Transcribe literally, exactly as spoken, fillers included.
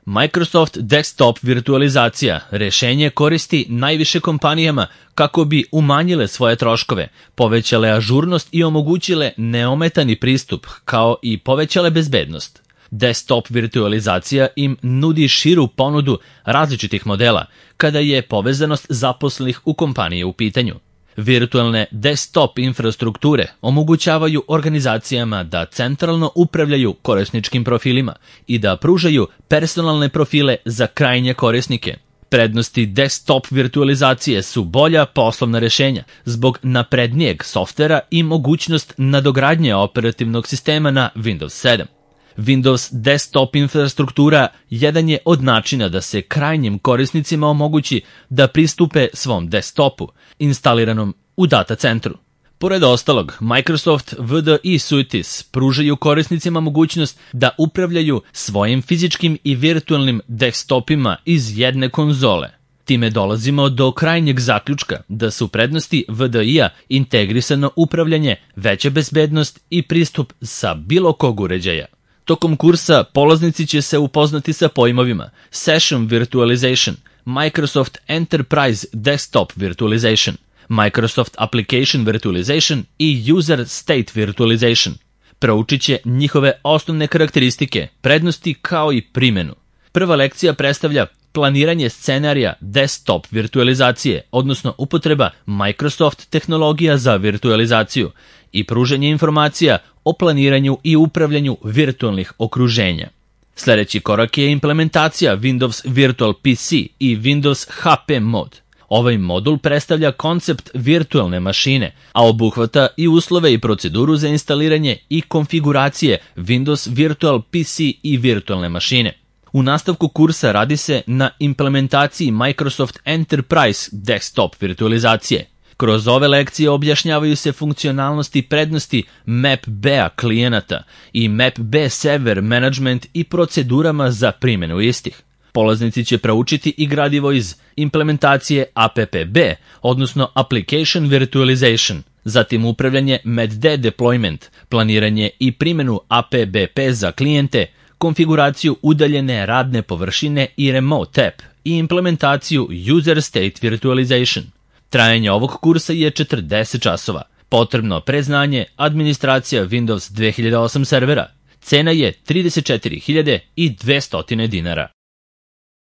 Microsoft Desktop virtualizacija rešenje koristi najviše kompanijama kako bi umanjile svoje troškove, povećale ažurnost i omogućile neometani pristup, kao i povećale bezbednost. Desktop virtualizacija im nudi širu ponudu različitih modela kada je povezanost zaposlenih u kompaniji u pitanju. Virtualne desktop infrastrukture omogućavaju organizacijama da centralno upravljaju korisničkim profilima i da pružaju personalne profile za krajnje korisnike. Prednosti desktop virtualizacije su bolja poslovna rešenja zbog naprednijeg softvera i mogućnost nadogradnje operativnog sistema na Windows sedam. Windows desktop infrastruktura jedan je od načina da se krajnjim korisnicima omogući da pristupe svom desktopu, instaliranom u data centru. Pored ostalog, Microsoft V D I Suites pružaju korisnicima mogućnost da upravljaju svojim fizičkim i virtualnim desktopima iz jedne konzole. Time dolazimo do krajnjeg zaključka da su prednosti V D I-a integrisano upravljanje, veća bezbednost i pristup sa bilo kog uređaja. Tokom kursa polaznici će se upoznati sa pojmovima Session Virtualization, Microsoft Enterprise Desktop Virtualization, Microsoft Application Virtualization i User State Virtualization. Proučit će njihove osnovne karakteristike, prednosti kao i primjenu. Prva lekcija predstavlja planiranje scenarija desktop virtualizacije, odnosno upotreba Microsoft tehnologija za virtualizaciju i pružanje informacija o planiranju i upravljanju virtualnih okruženja. Sljedeći korak je implementacija Windows Virtual P C i Windows H P mod. Ovaj modul predstavlja koncept virtualne mašine, a obuhvata i uslove i proceduru za instaliranje i konfiguracije Windows Virtual P C i virtualne mašine. U nastavku kursa radi se na implementaciji Microsoft Enterprise Desktop virtualizacije. Kroz ove lekcije objašnjavaju se funkcionalnosti i prednosti M A P B-a klijenata i M A P B server management i procedurama za primjenu istih. Polaznici će proučiti i gradivo iz implementacije A P P B, odnosno Application Virtualization, zatim upravljanje M A D D deployment, planiranje i primjenu A P B P za klijente, konfiguraciju udaljene radne površine i Remote App i implementaciju User State Virtualization. Trajanje ovog kursa je četrdeset časova. Potrebno predznanje, administracija Windows dve hiljade osam servera. Cena je trideset četiri hiljade dvesta dinara.